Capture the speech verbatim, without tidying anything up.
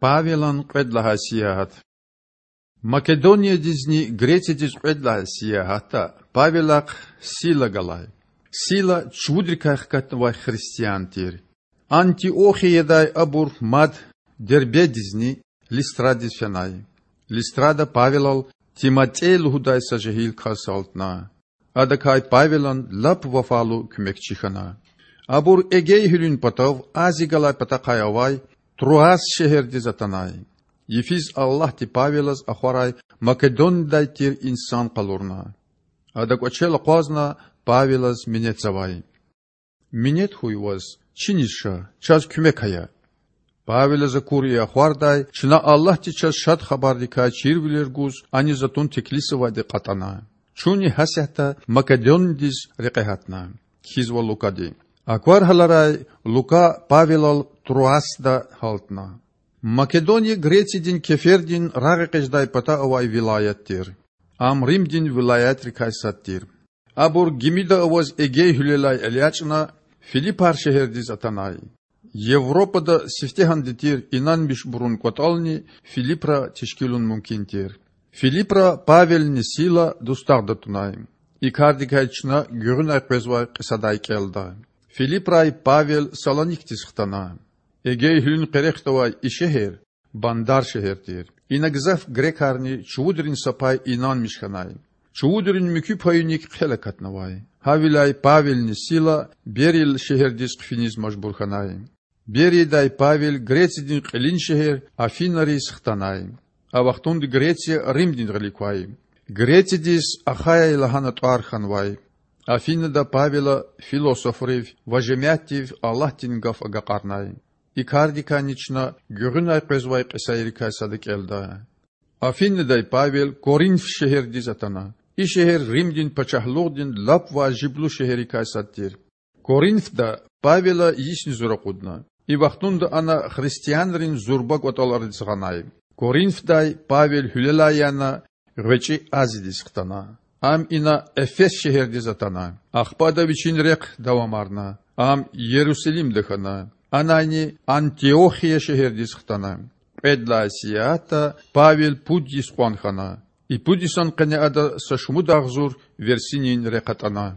Павелан кьвед лагьай сиягьат. Македониядизни Грециядиз кьвед лагьай сиягьатда Павелахъ Сила галай. Сила чувудрикай хкатнавай христиан тир. Антиохиядай абур мад Дербедизни Листрадиз фенай. Листрада Павелал Тиматей лугьудай са жегьил кас гьалтна. Адакай Павелан лап вафалу куьмекчи хьана. Абур Эгей гьуьлуьн патав Ази галай патахъай авай Труас шегьердиз атанай. Йифиз Аллагьди Павелаз ахварай Македонидай тир инсан къалурна. Ада кӀвачел акъвазна Павелаз минетзавай: Минет хьуй ваз, чиниз ша, чаз куьмек ая. Павелаз акур и ахвардай чна Аллагьди чаз Шад Хабардикай чирвилер гуз аниз атун теклифзавайди кьатӀана. Чунни гьасятда Македониядиз рекье гьатна. Кхьизва Лукади. Аквар гьаларай, Лука Павелал Труасда гьалтна. Македония Грециядин кефердин рагъэкъечӀдай пата авай вилаят тир. Ам Римдин вилаятрикай сад тир. Абур гимида аваз Эгей гьуьлелай элячӀна, Филиппар шегьердиз атанай. Европада сифтегьанди тир инанмишбурун кӀватӀални Филиппра тешкилун мумкин тир. Филиппра Павелни Сила дустагъда тунай. И кардикай чна гуьгъуьнай къвезвай кьисадай кӀелда. Филиппрай Павел Салоникдиз хтана. Эгей гьуьлуьн къерехда авай и шегьер бандар шегьер тир. Ина гзаф грекарни чувудрин са пай инанмиш хьанай. Чувудрин муькуь паюник хъел акатнавай. Гьавиляй Павелни Сила Берия шегьердиз хъфиниз мажбур хьанай. Бериядай Павел Грециядин кьилин шегьер Афинариз хтанай. А вахтунда Греция Римдин гъилик квай. Грециядиз Ахайя лагьана тӀвар хьанвай. Афинада Павела философрив ва жемятдив Аллагьдин гаф агакьарнай. И кардикайни чна гуьгъуьнай къвезвай кьисайрикай сада кӀелда. Афинадай Павел Коринф шегьердиз атана. И шегьер Римдин пачагьлугъдин лап важиблу шегьеррикай сад тир. Коринфда Павела йисни зур акъудна. И вахтунда ана христианрин зурба кӀватӀалариз гъанай. Коринфдай Павел гьуьлелай яна, гъвечӀи Азиядиз хтана. Ам ина Эфес шегьердиз атана. Ахпа ада вичин рехъ давамарна. Ам Ярусалимда хьана. Анайни Антиохия шегьердиз хтана. Кьвед лагьай сиягьатда Павел пуд йис кьван хьана. И пуд йисан къене ада са шумуд агъзур версинин рехъ атӀана.